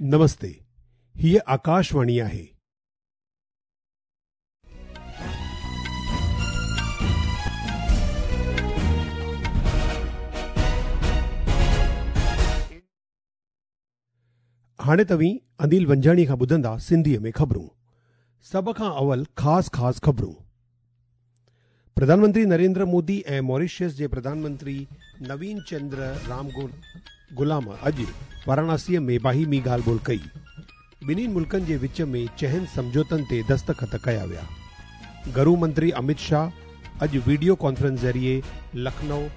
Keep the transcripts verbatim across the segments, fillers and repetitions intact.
नमस्ते, हीअ आकाशवाणी आहे। हाणे तव्हीं अनिल वंजाणी खां ॿुधंदा सिंधीअ में ख़बरूं। सभ खां अवल ख़ासि ख़ासि ख़बरूं। प्रधानमंत्री नरेंद्र मोदी ऐं मॉरिशस जे प्रधानमंत्री नवीन चंद्र राम गुलाम अॼु वाराणसीअ में बाहिमी ॻाल्हि ॿोल कई। ॿिन्हिनि मुल्कनि जे विच में चइनि सम्झौतनि ते दस्तख़त कया विया। गृह मंत्री अमित शाह अॼु वीडियो कॉन्फ्रेंस ज़रिए लखनऊ,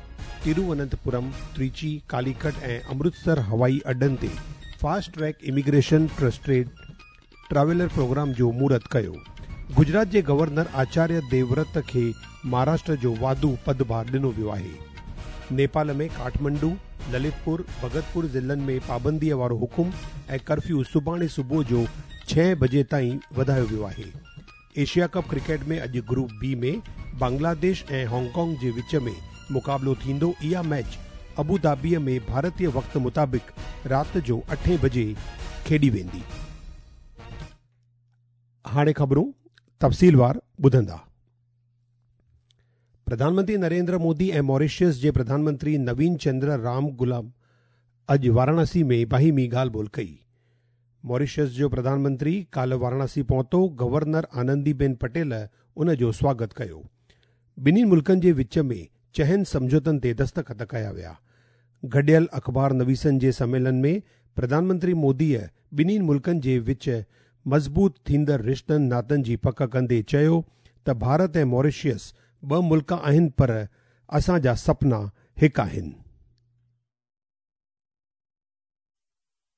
तिरुवनंतपुरम, त्रिची, कालीकट ऐं अमृतसर हवाई अॾनि ते fast track immigration trusted traveller programme जो मुहूर्त कयो। गुजरात जे गवर्नर आचार्य देवव्रत खे महाराष्ट्र जो वाधू पदभार ॾिनो वियो आहे। नेपाल में काठमांडू, ललितपुर, भगतपुर ज़िलनि में पाबंदीअ वारो हुकुम ऐं कर्फ्यू सुभाणे सुबुह जो छह बजे ताईं वधायो वियो आहे। एशिया कप क्रिकेट में अॼु ग्रुप बी में बांग्लादेश ऐं हांगकांग जे विच में मुक़ाबिलो थींदो। इहा मैच अबू धाबीअ में भारतीय वक़्त मुताबिक़ राति जो अठे बजे खेॾी वेंदी। हाणे ख़बरूं तफ़सीलवार ॿुधंदा। प्रधानमंत्री नरेंद्र मोदी ऐं मॉरिशस जे प्रधानमंत्री नवीन चंद्र राम गुलाम अॼु वाराणसी में बाहिमी ॻाल्हि ॿोल कई। मॉरिशस जो प्रधानमंत्री काल्ह वाराणसी पहुतो। गवर्नर आनंदीबेन पटेल उन जो स्वागत कयो। ॿिन्हिनि मुल्कनि जे विच में चइनि सम्झौतनि ते दस्तख़त कया विया। गॾियल अख़बार नवीसनि जे सम्मेलन में प्रधानमंत्री मोदीअ ॿिन्हिनि मुल्कनि जे विच मज़बूत थींदड़ रिश्तनि नातनि जी पक कंदे चयो त भारत ऐं मॉरिशस ॿ मुल्क आहिनि, पर असांजा सपना हिकु आहिनि।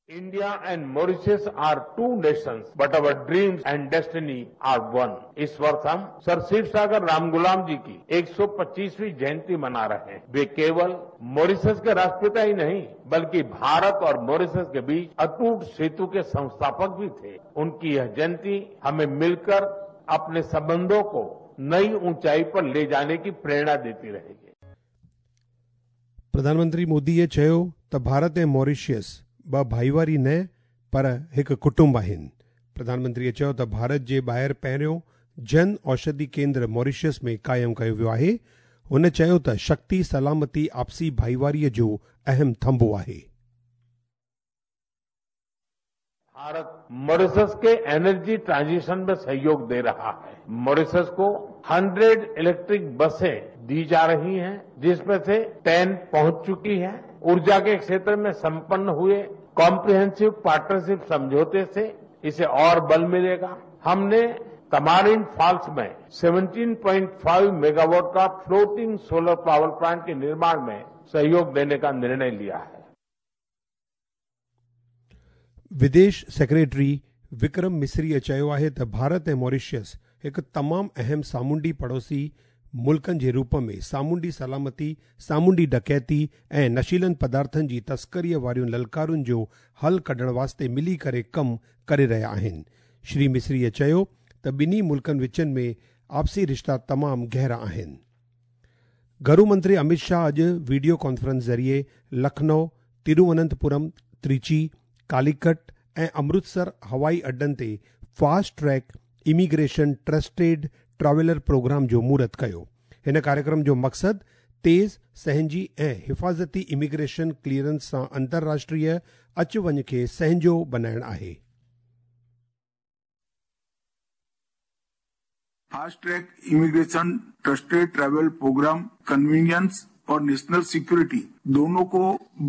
India and Mauritius are two nations, but our dreams and destiny are one. इस वर्ष हम सर शिवसागर रामगुलाम जी की एक सौ पच्चीसवीं जयंती मना रहे हैं। वे केवल मॉरिशस के राष्ट्रपिता ही नहीं, बल्कि भारत और मॉरिशस के बीच अटूट सेतु के संस्थापक भी थे। उनकी यह जयंती हमें मिलकर अपने संबंधों को नई ऊंचाई पर ले जाने की प्रेरणा देती रहेगी। प्रधानमंत्री मोदीअ चयो त भारत ऐं मॉरिशस ॿ भाईवारी न पर हिकु कुटुंब आहिनि। प्रधानमंत्रीअ चयो त भारत जे ॿाहिरि पहिरियों जन औषधि केंद्र मॉरिशस में क़ाइमु कयो वियो आहे। हुन चयो त शक्ति सलामती आपसी भाईवारीअ जो अहम थंभो आहे। भारत मॉरिशस के एनर्जी ट्रांजिशन में सहयोग दे रहा है। मॉरिशस को हंड्रेड इलेक्ट्रिक बसें दी जा रही हैं, जिसमें से टेन पहुंच चुकी है। ऊर्जा के क्षेत्र में संपन्न हुए कॉम्प्रिहेंसिव पार्टनरशिप समझौते से इसे और बल मिलेगा। हमने तमारिन फॉल्स में सत्रह पॉइंट पाँच मेगावाट का फ्लोटिंग सोलर पावर प्लांट के निर्माण में सहयोग देने का निर्णय लिया है। विदेश सेक्रेटरी विक्रम मिस्रीअ चयो आहे त भारत ऐं मॉरिशस हिकु तमामु अहम सामुंडी पड़ोसी मुल्कनि जे रूप में सामुंडी सलामती, सामुंडी डकैती ऐं नशीलनि पदार्थनि जी तस्करीअ वारियुनि ललकारुनि जो हल कढण वास्ते मिली करे कमु करे रहिया आहिनि। श्री मिस्रीअ चयो त ॿिन्ही मुल्कनि विचनि में आपसी रिश्ता तमामु गहरा आहिनि। गृह मंत्री अमित शाह अॼु वीडियो कॉन्फ्रेंस ज़रिए लखनऊ, तिरुवनंतपुरम, त्रिची, कालीकट ऐं अमृतसर हवाई अॾनि ते fast track immigration trusted traveller programme जो मुहूर्त कयो। हिन कार्यक्रम जो मक़सदु तेज़, सहंजी ऐं हिफ़ाज़ती इमिग्रेशन क्लियरेंस सां अंतर्राष्ट्रीय अच वञ खे सहंजो बणाइणु आहे। Fast track immigration trusted travel programme convenience और नेशनल सिक्योरिटी दोनों को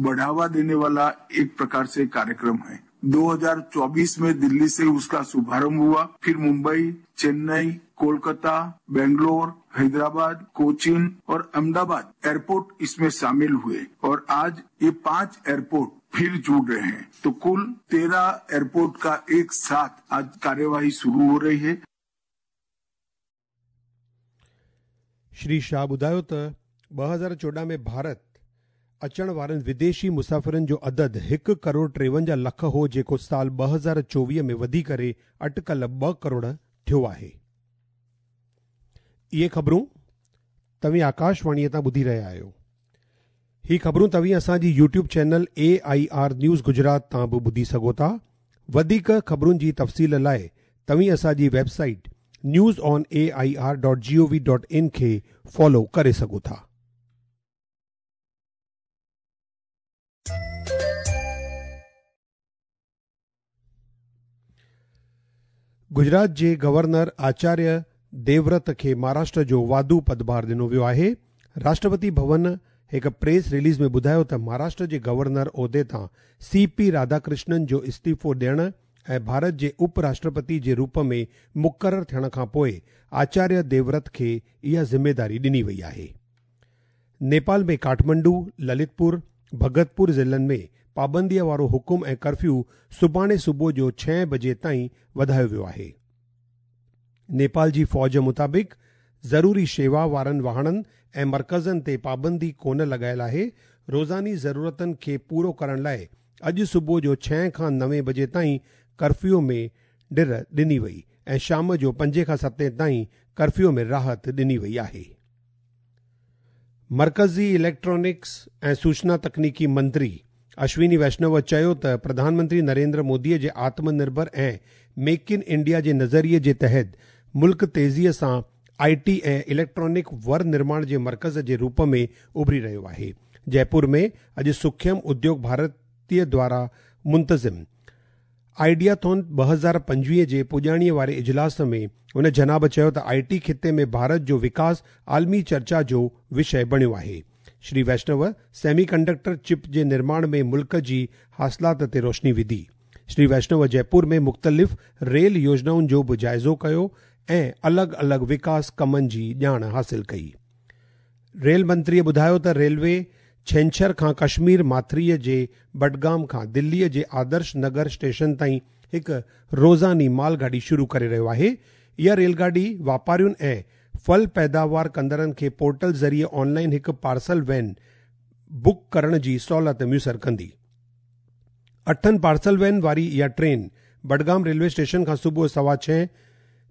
बढ़ावा देने वाला एक प्रकार से कार्यक्रम है। दो हज़ार चौबीस में दिल्ली से उसका शुभारंभ हुआ, फिर मुंबई, चेन्नई, कोलकाता, बेंगलोर, हैदराबाद, कोचीन और अहमदाबाद एयरपोर्ट इसमें शामिल हुए और आज ये पांच एयरपोर्ट फिर जुड़ रहे हैं, तो कुल तेरह एयरपोर्ट का एक साथ आज कार्यवाही शुरू हो रही है। श्री शाह ॿुधायो त ॿ हज़ार चोॾहं में भारत अचण वारनि विदेशी मुसाफ़िरनि जो अदद हिकु करोड़ टेवंजाह लख हो, जेको साल ॿ हज़ार चोवीह में वधी करे अटकल ॿ करोड़ थियो आहे। इहे ख़बरूं तव्हीं आकाशवाणीअ तां ॿुधी रहिया आहियो। ही ख़बरूं तव्हीं असांजी YouTube channel A I R news Gujarat तां बि ॿुधी सघो था। वधीक ख़बरुनि जी तफ़सील लाइ तव्हीं असांजी website news on A I R dot G O V dot in खे फॉलो करे सघो था। गुजरात जे गवर्नर आचार्य देवव्रत खे महाराष्ट्र जो वाधू पदभार ॾिनो वियो आहे। राष्ट्रपति भवन हिकु प्रेस रिलीज़ में ॿुधायो त महाराष्ट्र जे गवर्नर उहिदे तां सी पी राधाकृष्णन जो इस्तीफ़ो ॾियण ऐं भारत जे उपराष्ट्रपति जे रूप में मुक़ररु थियण खां पोइ आचार्य देवव्रत खे इहा ज़िम्मेदारी ॾिनी वई आहे। नेपाल में काठमांडू, ललितपुर, भगतपुर ज़िलनि में पाबंदीअ वारो हुकुम ऐं कर्फ्यू सुभाणे सुबुह जो छह बजे ताईं वधायो वियो आहे। नेपाल जी फ़ौज मुताबिक़ ज़रूरी शेवा वारनि वाहणनि ऐं मर्कज़नि ते पाबंदी कोन लॻायल आहे। रोज़ानी ज़रूरतनि खे पूरो करण लाइ अॼु सुबुह जो छह खां नवे बजे ताईं कर्फ्यू में ढिर ॾिनी वई ऐं शाम जो पंजे खां सते ताईं कर्फ्यू में राहत ॾिनी वई आहे। मर्कज़ी इलेक्ट्रॉनिक्स ऐं सूचना तकनीकी मंत्री अश्विनी वैष्णव चयो त प्रधानमंत्री नरेंद्र मोदीअ जे आत्मनिर्भर ऐं मेक इन इंडिया जे नज़रिए जे तहत मुल्क तेज़ीअ सां I T ऐं इलेक्ट्रॉनिक वर निर्माण जे मर्कज़ जे रूप में उभरी रहियो आहे। जयपुर में अॼु सूक्ष्म उद्योग भारतीय द्वारा मुंतज़िम आइडियाथॉन ॿ हज़ार पंजवीह जे पुॼाणीअ वारे इजलास में उन जनाब चयो त I T ख़िते में भारत जो विकास आलमी चर्चा जो विषय बणियो आहे। श्री वैष्णव सेमीकंडक्टर चिप जे निर्माण में मुल्क जी हासिलात ते रोशनी विधी। श्री वैष्णव जयपुर में मुख़्तलिफ़ रेल योजनाउनि जो बि जाइज़ो कयो ऐं अलॻि अलॻि विकास कमनि जी ॼाण हासिल कई। रेल मंत्रीअ ॿुधायो त रेलवे छेंछर खां कश्मीर माथरीअ जे बडगाम खां दिल्लीअ जे आदर्श नगर स्टेशन ताईं हिकु रोज़ानी मालगाॾी शुरू करे रहियो आहे। इहा रेलगाॾी वापारियुनि ऐं फल पैदावार कंदड़नि खे पोर्टल ज़रिए ऑनलाइन हिकु पार्सल वैन बुक करण जी सहूलियत मुयसर कंदी। अठनि पार्सल वैन वारी इहा ट्रेन बडगाम रेलवे स्टेशन खां सुबुह सवा छह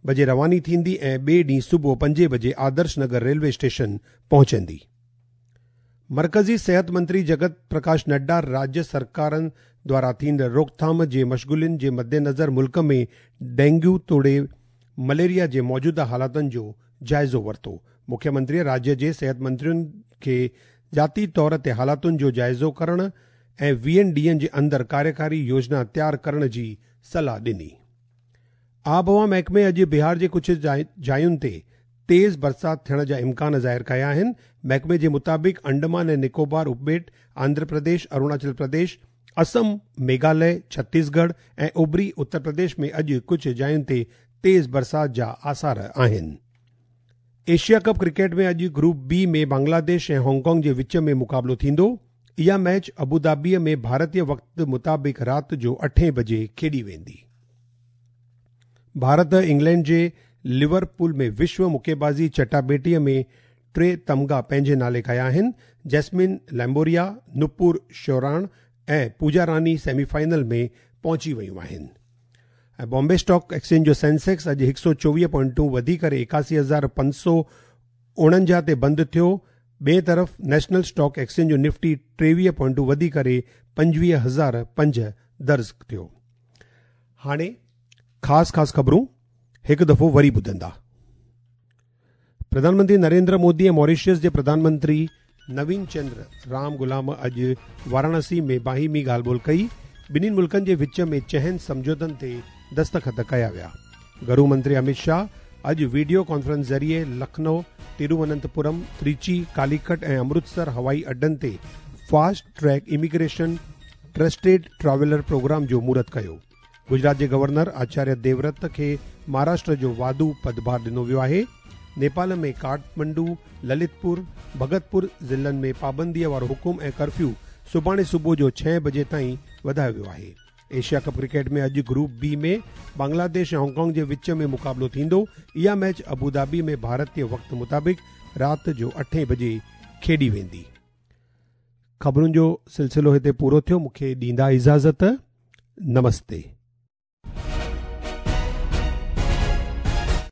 बजे रवानी थींदी ऐं ॿिए ॾींहुं सुबुह पंजे बजे आदर्श नगर रेलवे स्टेशन पहुचंदी। मर्कज़ी सेहत मंत्री जगत प्रकाश नड्डा राज्य सरकारनि द्वारा थींदड़ रोकथाम जे मशग़ुलियुनि जे मद्देनज़र मुल्क में डेंग्यू तोड़े मलेरिया जे मौजूदा हालातुनि जो जाइज़ो वरितो। मुख्यमंत्री राज्य जे सेहत मंत्रियुनि खे ज़ाती तौर ते हालातुनि जो जाइज़ो करण ऐं वीहनि ॾींहनि जे अंदरि कार्यकारी योजना तयारु करण जी सलाह ॾिनी। आबहवा महकमे अॼु बिहार जे कुझु जायुनि ते तेज़ बरसाति थियण जा इम्कान ज़ाहिर कया आहिनि। महकमे जे मुताबिक़ अंडमान ऐं निकोबार उपॿेट, आंध्र प्रदेश, अरुणाचल प्रदेश, असम, मेघालय, छत्तीसगढ़ ऐं उभरी उत्तर प्रदेश में अॼु कुझु जायुनि ते तेज़ बरसाति जा आसार आहिनि। एशिया कप क्रिकेट में अॼु ग्रुप बी में बांग्लादेश ऐं हांगकांग जे विच में मुक़ाबिलो थींदो। इहा मैच अबूधाबीअ में भारतीय वक़्त मुताबिक़ राति जो अठे बजे खेॾी वेंदी। भारत इंग्लैंड जे लिवरपूल में विश्व मुक्केबाज़ी चटाबेटीअ में टे तमगा पंहिंजे नाले कया आहिनि। जैस्मिन लैम्बोरिया, नुपुर शोराण ऐं पूजा रानी सेमीफाइनल में पहुची वयूं आहिनि। ऐं बॉम्बे स्टॉक एक्सचेंज जो सेंसेक्स अॼु हिकु सौ चोवीह पॉइंटूं वधी करे एकासी हज़ार पंज सौ उणंजाह ते बंदि थियो। ॿिए तरफ़ नेशनल स्टॉक एक्सचेंज जो निफ्टी टेवीह पॉइंटूं वधी करे पंजवीह हज़ार पंज दर्ज थियो। हाणे ख़ासि ख़ासि ख़बरूं हिकु दफ़ो वरी ॿुधंदा। प्रधानमंत्री नरेंद्र मोदी ऐं मॉरिशस जे प्रधानमंत्री नवीन चंद्र राम गुलाम अॼु वाराणसी में बाहिमी ॻाल्हि ॿोल कई। ॿिन्हिनि मुल्कनि जे विच में चहनि सम्झौतनि ते दस्तख़त कया विया। घरू मंत्री अमित शाह अॼु वीडियो कॉन्फ्रेंस ज़रिए लखनऊ, तिरुवनंतपुरम, त्रिची, कालीकट ऐं अमृतसर हवाई अड्डनि ते fast track immigration trusted traveller programme जो मुहूर्त कयो। गुजरात जे गवर्नर आचार्य देवव्रत खे महाराष्ट्र जो वाधू पदभार ॾिनो वियो आहे। नेपाल में काठमांडू, ललितपुर, भगतपुर ज़िलनि में पाबंदीअ वारो हुकुम ऐं कर्फ्यू सुभाणे सुबुह जो छह बजे ताईं वधायो वियो आहे। एशिया कप क्रिकेट में अॼु ग्रुप बी में बांग्लादेश ऐं हांगकांग जे विच में मुक़ाबिलो थींदो। इहा match Abu Dhabi में भारतीय वक़्त मुताबिक़ राति जो अठे बजे खेॾी वेंदी। ख़बरुनि जो सिलसिलो हिते पूरो थियो। मूंखे ॾींदा इजाज़त। नमस्ते।